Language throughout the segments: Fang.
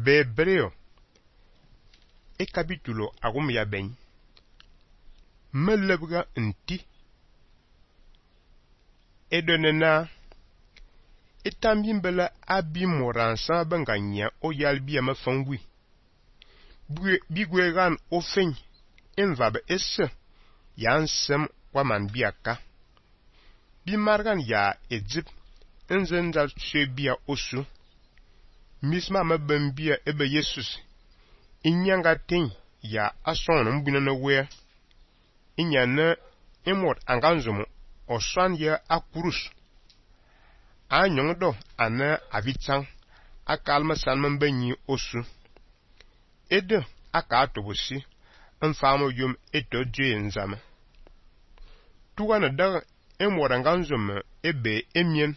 Bebreo e capítulo agum ya ben melebga nti edonena etambimbela abi moransa banganya o yalbia mafangwi bigwegan ofeng envab esse yansem waman biaka bimargan ya edzip enzenza sebia osu misma mabambia ebe yesus inyanga ten ya ason mbuna na we inyana emot anganzumu oswan ya akurus anyongdo ana avitsang akalma sanman banyi osu ede aka atobosi mfamo yum eto je nzama tuwana da emot anganzumu ebe emien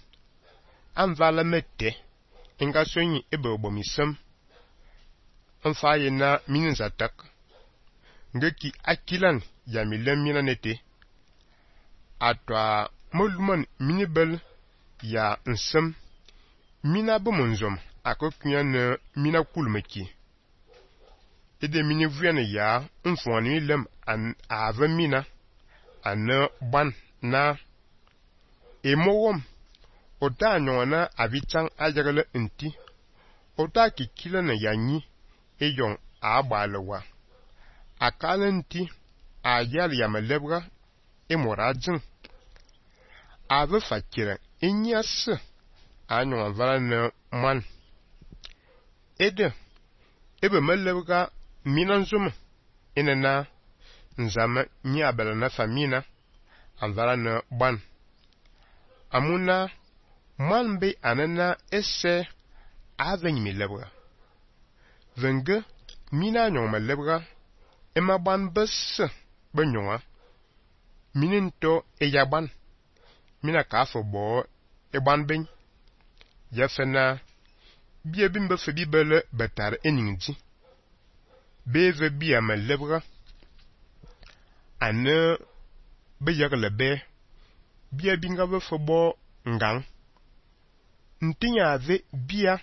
anvala mette inga sonyi ebe obomisem mfaye na mininzatak ngeki akilan ya milem mina nete atwa moluman minibel ya nsem mina bumunzom akokunya na mina kulmeki ede mini vuana ya mfoni lem an ave mina ana ban na emowom ota nyona avitang ajagale nti ota kikila na yanyi eyong agbalewa akala nti ayal ya malebra emoradzin ave fakira inyas anyon vala na man ede ebe malebra minanzum inana nzama nyabala na famina anvala na ban amuna man be anana esse aveny milebra venge mina nyon malebra ema ban bes benyonga mininto eyaban mina kafo bo eban ben yafena biebimbe febibele betar eningji beve bia malebra ane beyagle be biebinga be fobo ngang ntinya ave bia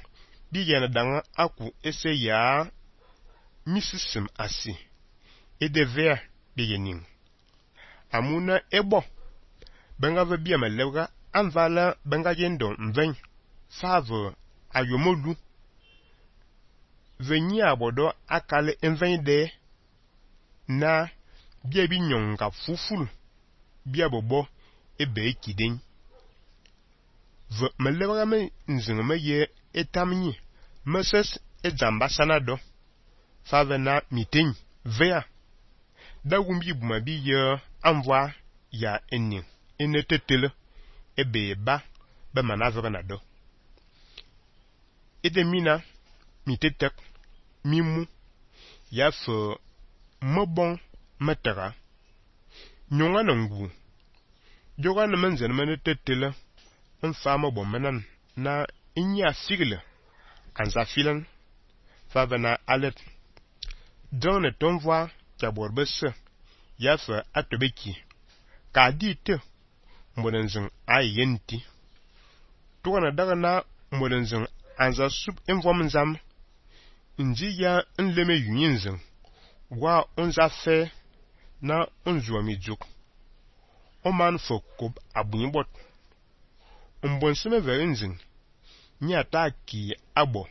biyana danga aku ese ya misisim asi edevea biyening amuna ebo benga ve bia malebra anvala benga yendo mven fave ayomolu venyi abodo akale enven de na bia binyonga fufulu bia bobo ebe kiden ve malebra me nzinga me ye etamnyi meses edzamba sanado fave na miting vea da wumbi buma bi ye anvwa ya eni enetetele ebe ba be manavre na do ede mina mitetek mimu ya fe mebon metara nyonga na ngu joga na menzen menetetele mfama bomenan na inya sigle anza filan fave na alet donne tonvwa kaborbese ya fe atobeki ka dite mbonenzin ayenti tuwana daga na mbonenzin anza sub envom nzam nji ya nleme yunyinzin wa onza fe na onzuwa mijuk oman fokob abunyibot mbonseme verinzin nyata ki abo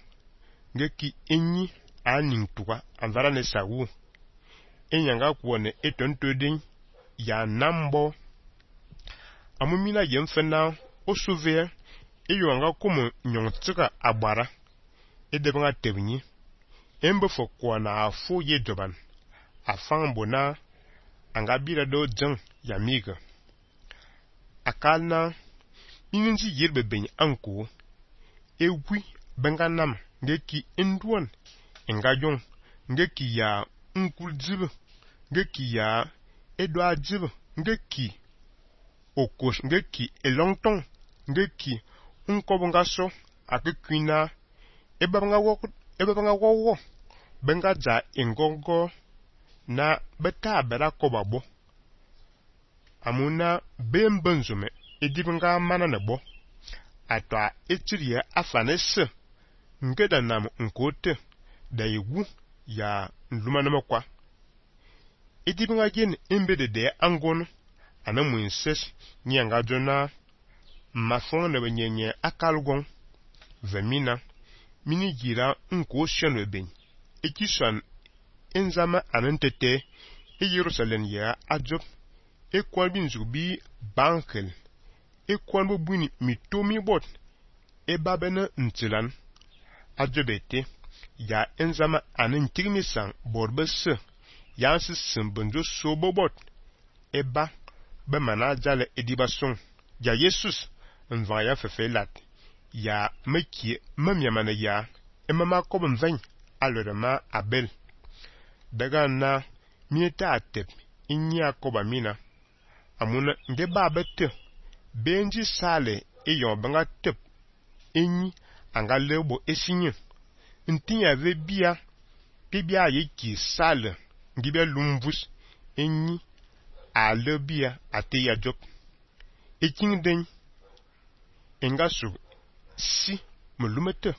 ngeki enyi aning tuwa anvara ne sawu enyanga kuone etontodin ya nambo amumina yemfena osuve eyonga kumu nyongtsika agbara edebanga tebnyi embe fokwana afu yedoban afambo na angabira do jeng ya miga akalna ininji yirbe ben anko ewi benga nam ngeki enduan engajong ngeki ya nkuljibe ngeki ya edwa jibe ngeki okos ngeki elongtong ngeki nkobongaso akikwina ebabanga wowo benga za engongo na beta bera kobabo amuna bembenzume edibanga mana nebo atwa etiria afanese ngeda nam nkote da igu ya nluma na makwa edibinga gen embede de angon ana muinses nyanga jona mafon na benyenye akalgon vemina mini gira nko shenu ben ekishan enzama anentete e Jerusalem ya ajob e kwalbin zubi bankel e kwalbo buni mitomi bot e babena ntilan ajobete ya enzama anen tigmisan borbese ya sisin bunjo sobobot e ba mana jale edibason ya Jesus nvan ya fefelat ya mekie mamyamana ya e mama kobin ven alorema abel daga na mieta atep inya koba mina amuna nde babete benji sale e yon banga tep enyi anga lebo esinye ntinya ve bia yeki sale ngibia lumvus enyi a lebia ate ya job eking den engasu si mulumete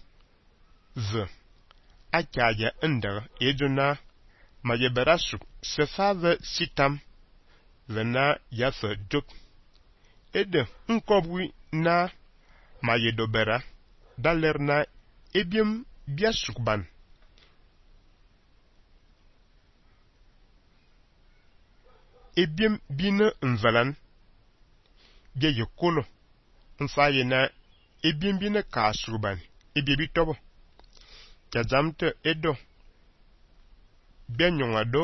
ve akaja ender ejona majeberasu sefave sitam vena yafe job ede nkobwi na mayedobera dalerna ebiem biasukban ebiem bine nvalan ge yekolo mfaye na ebiem bine kasurban ebiebi tobo kazamte edo benyongado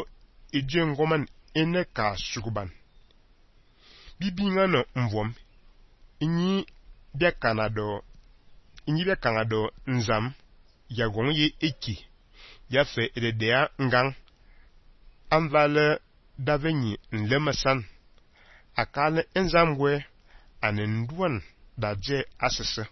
ejengoman ene kasurban bibinga no mvom inyi bia kanado nzam ya gong ye eki ya fe ededea ngang anvale davenyi nlemasan akale enzamwe anenduan daje asese